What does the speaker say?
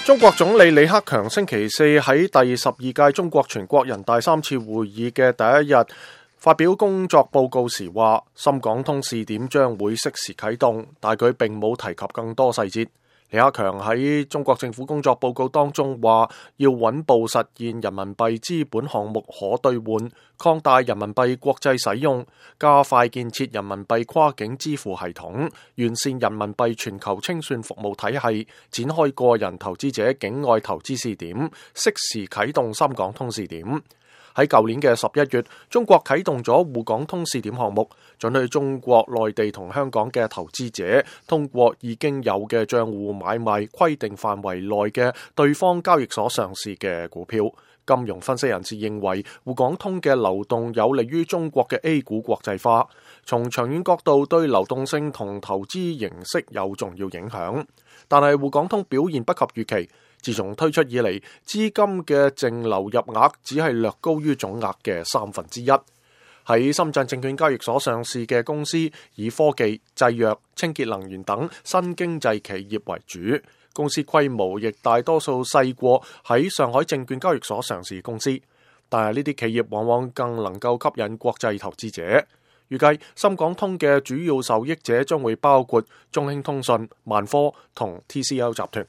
中國總理李克強星期四喺第12屆中國全國人大3次會議嘅第一日發表工作報告時話，深港通試點將會適時啟動，但佢並冇提及更多細節。李克強喺中國政府工作報告當中話，要穩步實現人民幣資本項目可兌換，擴大人民幣國際使用，加快建設人民幣跨境支付系統，完善人民幣全球清算服務體系，展開個人投資者境外投資試點，適時啟動深港通試點。喺舊年嘅11月，中國啟動咗滬港通試點項目，准許中國內地同香港嘅投資者通過已經有嘅賬戶買賣規定範圍內嘅對方交易所上市嘅股票。金融分析人士認為，滬港通嘅流動有利於中國嘅 A 股國際化，從長遠角度對流動性同投資形式有重要影響。但係滬港通表現不及預期。自從推出以嚟，資金嘅淨流入額只係略高於總額嘅1/3。喺深圳證券交易所上市嘅公司以科技、製藥、清潔能源等新經濟企業為主，公司規模亦大多數細過喺上海證券交易所上市公司。但係呢啲企業往往更能夠吸引國際投資者。預計深港通嘅主要受益者將會包括中興通訊、萬科同 TCL 集團。